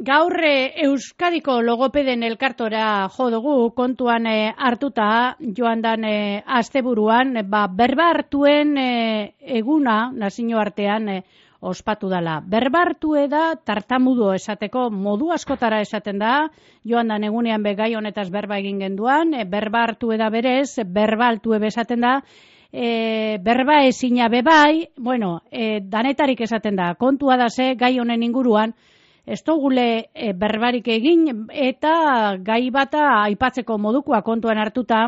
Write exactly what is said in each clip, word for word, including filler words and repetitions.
Gaur e, Euskadiko logopeden elkartora jo dugu, kontuan e, hartuta joan dan e, asteburuan, ba, berba hartuen e, eguna, nazio artean, e, ospatu dela. Berba hartue da tartamudo esateko modu askotara esaten da, joan dan egunean be gai honetaz berba egin genduan, e, berba hartue da berez, berba altue besaten da, e, berba ezina bebai, bueno, e, danetarik esaten da, kontua da ze gai honen inguruan, ez dugule e, berbarik egin eta gai bata aipatzeko modukoa kontuan hartuta,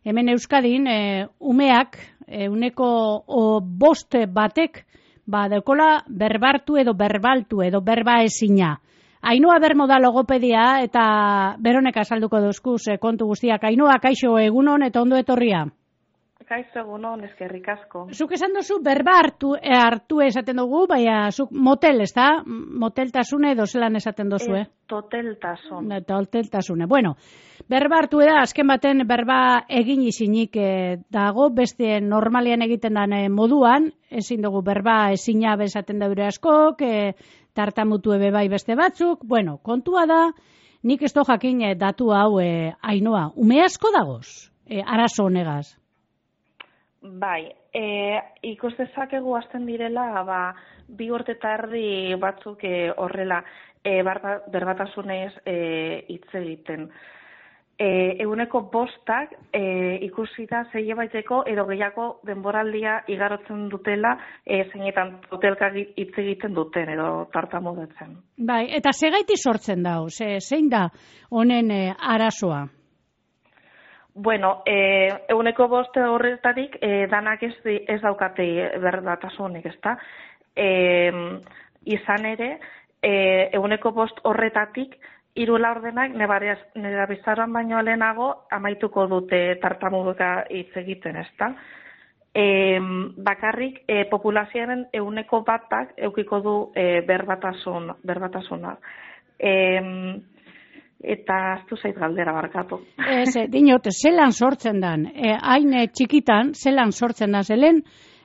hemen Euskadin e, umeak e, uneko o, bost batek ba dekola berbartu edo berbaltu edo berba ezina. Ainhoa Bermo da logopedia eta beronek azalduko duzkuz e, kontu guztiak. Ainhoa, kaixo, egunon eta ondo etorria. Kaixo, egunon, eskerrik asko. Zuk esan duzu berba hartu, e, hartu esaten dugu, baina zuk motel, ez da? Moteltasune edo zelan esaten duzu, eh? Toteltasun. Toteltasune. Bueno, berba hartu da, azken baten berba egin izinik e, dago, beste normalian egiten den e, moduan, ezin dugu berba ezina bezaten daure askok, e, tartamutu ebe bai beste batzuk, bueno, kontua da, nik ez do jakin e, datu hau e, Ainhoa, ume asko dagoz, e, arazo honegaz. Bai, e, ikus dezakegu hasten direla, ba, bi urte eta erdi batzuk e, horrela e, barba, berbatasunez hitz e, egiten. E, eguneko bostak e, ikusi da zeie baiteko edo gehiago denboraldia igarotzen dutela e, zeinetan hotelka hitz egiten duten edo tartamudetzen. Bai, eta zegaiti sortzen da, ze, zein da honen e, arazoa? Bueno, eh, eguneko boste horretarik eh, danak ez, ez daukate berbatasunik, ezta? Eh, izan ere, eh, eguneko bost horretatik hiru laurdenak nera bizaroan baino lehenago amaituko dute tartamuduka hitz egiten, ezta? Eh, bakarrik eh, populazioaren eguneko batak eukiko du eh, berbatasun, berbatasuna. Eh, Eta aztu zait galdera barkatu. Ez, dinot, zelan sortzen dan, e, hain txikitan, zelan sortzen dan, zelen,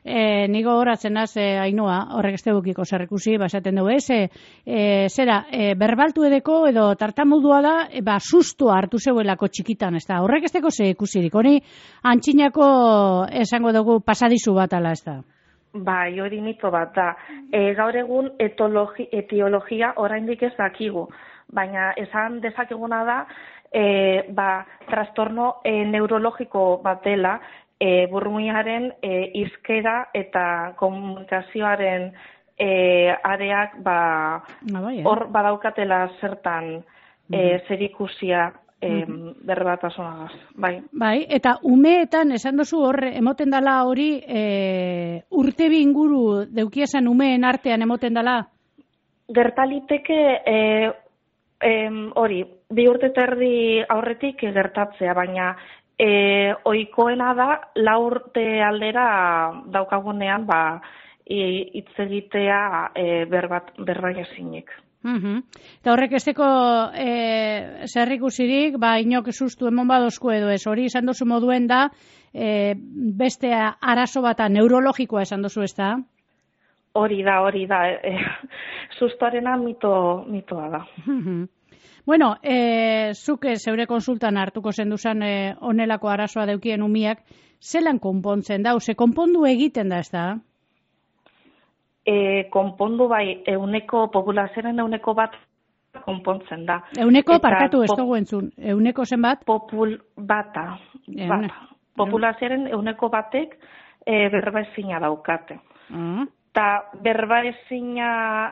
e, nigo horatzen az, e, Ainhoa, horrek ez tegukiko zerrekusi, basaten dugu, ez, e, e, zera, e, berbaltu edeko edo tartamudua da, e, ba, sustoa hartu zeuelako txikitan, ez da, horrek ez teko ze ikusirik, hori antxinako esango dugu pasadizu bat ala, ez da. Bai, hori mito bat da. E, gaur egun etologi, etiologia oraindik ez dakigu. Baina esan dezakeguna da, e, ba, trastorno e, neurologiko bat dela, e, burmuinaren e, hizkera eta komunikazioaren e, areak ba, hor badaukatela zertan e, zerikusia e, berbatasunagaz. Bai. Bai, eta umeetan esan duzu hor emoten dala hori e, urte bi inguru deukiesan umeen artean emoten dala? Gertaliteke e, hori, bi urte eta erdi aurretik gertatzea, baina e, ohikoena da lau urte aldera daukagunean ba, hitz egitea e, berbat, berbai ezinik. Uh-huh. Eta horrek esteko e, zerrikusirik, ba, inok sustu emon badozko edo ez, hori esan duzu moduen da, e, beste arazo bata neurologikoa esan duzu ez da? Hori da, hori da, e, sustoarena mito, mitoa da. Bueno, e, zuke zeure konsultan hartuko zenduzan e, onelako arazoa deukien umiak, zelan konpontzen da, ze konpondu egiten da ez da? E, konpondu bai, euneko populazioaren euneko bat konpontzen da. Euneko, eta parkatu ez dugu entzun, euneko zenbat? Popul bata, bata. Populazioaren euneko batek e, berbaezina daukate. Uh-huh. Eta berbaezina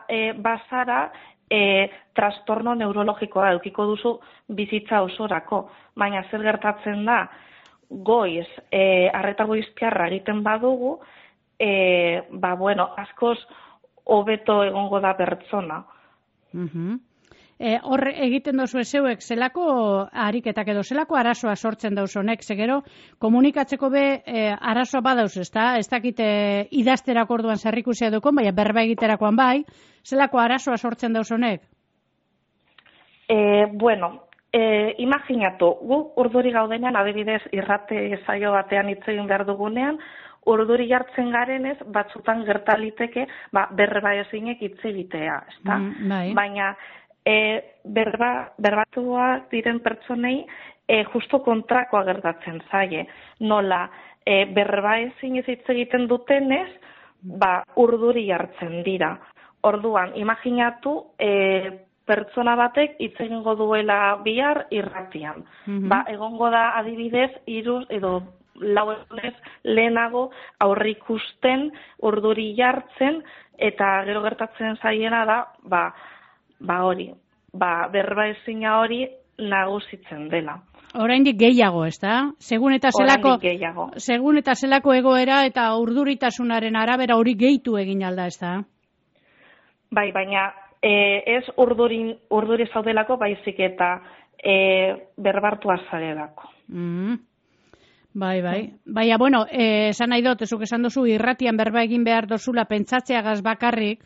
e, bazara, e, trastorno neurologikoa edukiko duzu bizitza osorako. Baina zer gertatzen da, goiz, e, arreta goiztiarra egiten badugu, e, ba, bueno, askoz hobeto egongo da pertsona. Uh-huh. E, hor egiten dozu ezeuek zelako ariketak edo zelako arazoa sortzen dauz honek, zegero komunikatzeko be e, arazoa badauz, ez da? Ez dakite idazterako orduan zerrikusia dukon, baina berba egiterakoan bai, zelako arazoa sortzen dauz honek? E, bueno, e, imaginatu, gu urduri gaudenean, adibidez, irrate zaio batean hitz egin behar dugunean, urduri jartzen garenez, batzutan gertaliteke, ba, berba ezinek hitz egitea, ezta? Mm, bai. Baina, e, berba, berbatuak diren pertsonei e, justo kontrakoa gertatzen zaie. Nola, e, berba ezin ez hitz egiten dutenez, ba, urduri hartzen dira. Orduan, imaginatu, e, pertsona batek hitz egingo duela bihar irratian. Mm-hmm. Ba, egongo da adibidez, hiru edo lau egunez lehenago aurrikusten urduri jartzen, eta gero gertatzen zaiena da, ba, ba hori, ba, berba ezina hori nagusitzen dela. Oraindik gehiago, ez da? Segun eta zelako, segun eta zelako egoera eta urduritasunaren arabera hori gehitu egin alda, ez da? Bai, baina e, ez urdurin, urduri zaudelako, baizik eta e, berbartua zarelako. Mm. Bai, bai. Baina, bueno, eh, esan nahi dut, ezuk esan duzu, irratian berba egin behar dozula pentsatzeagaz bakarrik.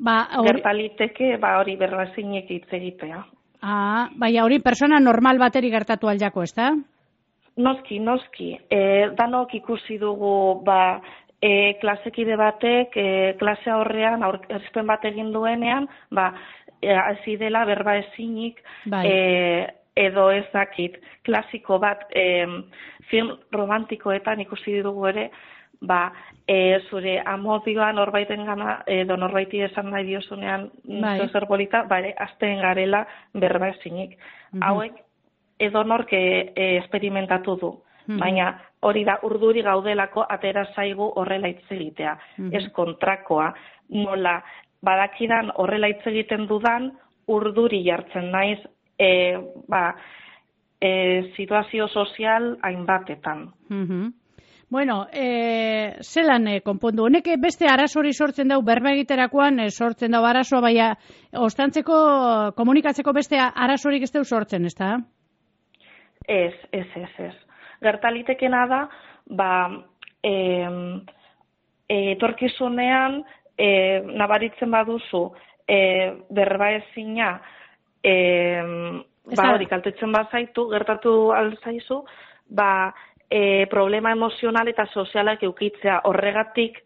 Ba, hori... Gertaliteke, ba, hori berba zinek hitz egitea. Ah, baina hori persona normal bateri gertatu aldako, ez da? Noski, noski. E, danok ikusi dugu, ba, e, klasekide batek, e, klase horrean, aurkezpen bat egin duenean, ba, e, hasi dela berba ezinik, bai. e, edo ez dakit, klasiko bat e, film romantikoetan ikusi dugu ere, ba, e, zure amodioa norbaiten gana, edo norbaiti esan nahi diozunean bai. Zer polita, bare, azten garela berba ezinik. Mm-hmm. Hauek, edo norke e, esperimentatu du, mm-hmm. baina hori da urduri gaudelako atera zaigu horrela hitz egitea. Mm-hmm. Ez kontrakoa, nola, badakidan horrela hitz egiten dudan, urduri jartzen naiz, E, ba, e, situazio sozial hainbatetan. Mm-hmm. Bueno, e, zelan e, konpondu? Honek beste arazori sortzen dau, berba egiterakoan e, sortzen dau arazoa, baina ostantzeko, komunikatzeko beste arazorik ez dau sortzen, ez da? Ez, ez, ez, ez. Gertalitekena da, ba, e, e, etorkizunean e, nabaritzen baduzu e, berba ezina, E, ba hori, kaltetzen bazaitu, gertatu alzaizu, ba, e, problema emozional eta sozialak eukitzea. Horregatik,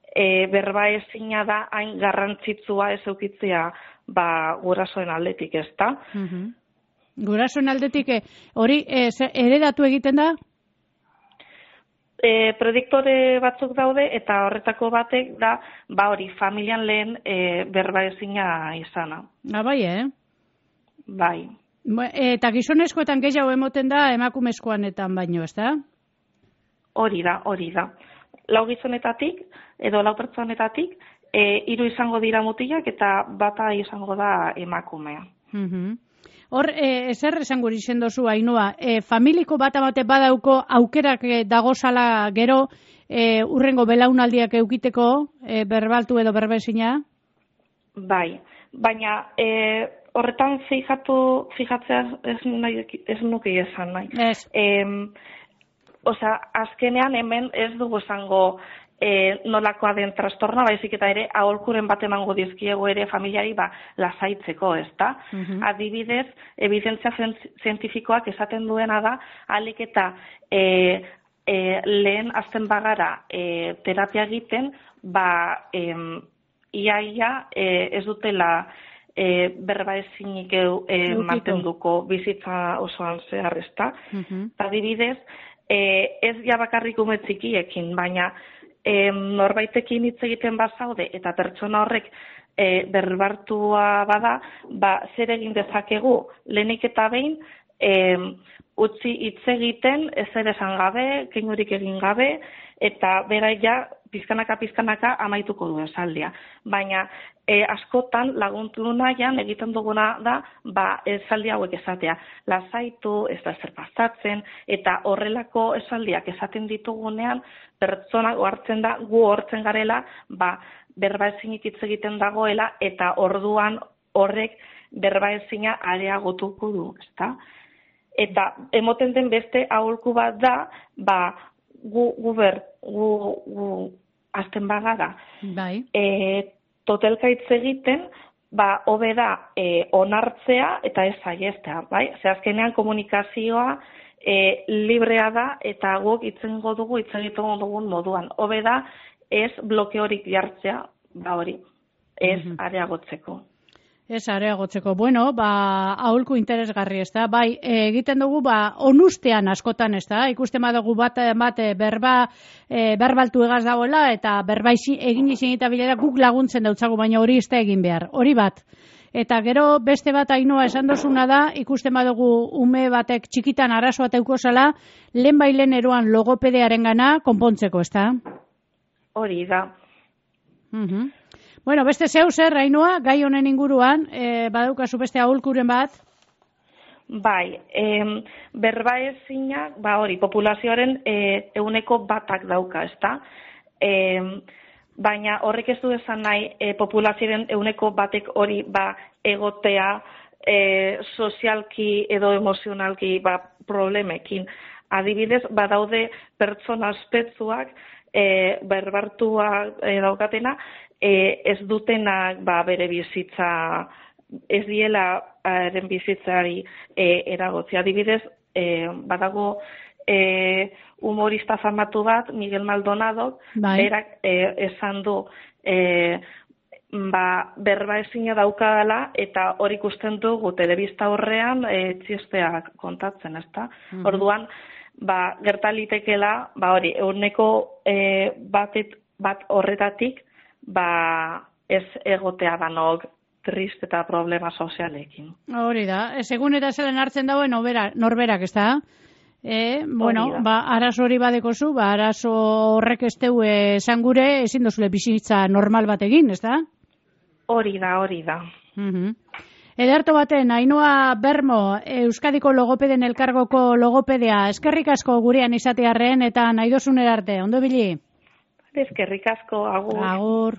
e, berba ezina da hain garrantzitsua ez eukitzea, ba, gurasoen aldetik, ez da? Mm-hmm. Gurasoen aldetik, hori, e, heredatu egiten da? E, prediktore batzuk daude, eta horretako batek da, ba hori, familian lehen e, berba ezina izana. Ah, bai, eh? Bai. Eta gizonezkoetan gehiago emoten da emakumezkoanetan baino, ez da? Hori da, hori da. Lau gizonetatik, edo lau pertsonetatik, e, hiru izango dira mutilak eta bata izango da emakumea. Mm-hmm. Hor, e, ezer esango izen dozu, Ainhoa, e, familiko bat amate badauko aukerak dagozala gero e, urrengo belaunaldiak eukiteko e, berbaltu edo berbezina? Bai, baina... E, horretan fijatu, fijatzea ez, nahi, ez nuke esan nahi. Ez. E, Osa, azkenean hemen ez dugu esango e, nolakoa den trastorna, baizik eta ere aholkuren bat emango dizkiego ere familiari ba, lasaitzeko, ez da? Mm-hmm. Adibidez, evidentzia zientifikoak esaten duena da, alik eta e, e, lehen azten bagara e, terapia egiten, ba, e, ia, ia e, ez dutela E, berba ezinik e, mantenduko bizitza osoan zehar, ez da. Mm-hmm. Adibidez, e, ez ja bakarrik ume txikiekin, baina e, norbaitekin hitz egiten bazaude eta pertsona horrek e, berbartua bada, ba, zer egin dezakegu lehenik eta behin e, utzi hitz egiten, ezer esan gabe, keinurik egin gabe, eta bera ja pizkanaka pizkanaka amaituko du esaldia. Baina e, askotan laguntu nahian egiten duguna da ba, esaldi hauek esatea. Lasaitu, ez da zer pasatzen, eta horrelako esaldiak esaten ditugunean, pertsona hartzen da, gu hortzen garela, ba, berba ezinik hitz egiten dagoela, eta orduan horrek berba ezina areagotuko du, ezta? Eta emoten den beste aholku bat da, ba, gu, gu, ber, gu, gu azten bagara. Bai. E, totelka hitz egiten, ba, hobe da e, onartzea eta ez saiestea, bai? Ze azkenean komunikazioa e, librea da eta guk hitzengo dugu, hitz egiten dugun moduan. Hobe da ez blokeorik jartzea, ba hori, ez mm-hmm. areagotzeko. Ez areagotzeko. Bueno, ba, aholku interesgarri, ez da? Bai, egiten dugu, ba, onustean askotan, ez da? Ikusten badugu bat, bat berba, e, berbaltu egaz dagoela, eta berba isi, egin izin eta bilera guk laguntzen dautzagu, baina hori ez da egin behar. Hori bat. Eta gero beste bat Ainoa esan dozuna da, ikusten badugu ume batek txikitan arazoa teuko zala, lehen bailen eroan logopedearen gana konpontzeko, ez da? Hori da. Mhm. Bueno, beste zeu zer, Ainoa, gai honen inguruan, e, badaukazu beste aholkuren bat? Bai, e, berba ezinak, ba hori, populazioaren e, euneko batak dauka, ezta? E, baina horrek ez du esan nahi e, populazioaren euneko batek hori ba egotea e, sozialki edo emozionalki ba, problemekin. Adibidez, badaude pertsona aspetzuak e, berbartua e, daukatena, E, ez dutenak ba, bere bizitza, ez diela eren bizitzari e, eragotzi. Adibidez, e, badago e, humorista famatu bat, Miguel Maldonado, bai. Berak e, esan du e, ba, berba ezina daukadala eta hori ikusten dugu telebista horrean e, txisteak kontatzen, ezta? Mm-hmm. Orduan, ba, gertalitekela, ba, hori, euneko e, batet, bat horretatik, ba ez egotea danok trist eta problema sozialekin. Hori da, segun eta zelen hartzen dauen norberak, ez da? E, bueno, ba, arazo hori badekozu, ba, arazo horrek ez teu esan gure, ezin dozule bizitza normal bat egin, ez da? Hori da, hori da. Uh-huh. Ederto baten, Ainoa Bermo, Euskadiko logopeden elkargoko logopedea, eskerrik asko gurean izatearren eta nahi dozun erarte, ondo bili? Eskerrik asko, agur. Agur.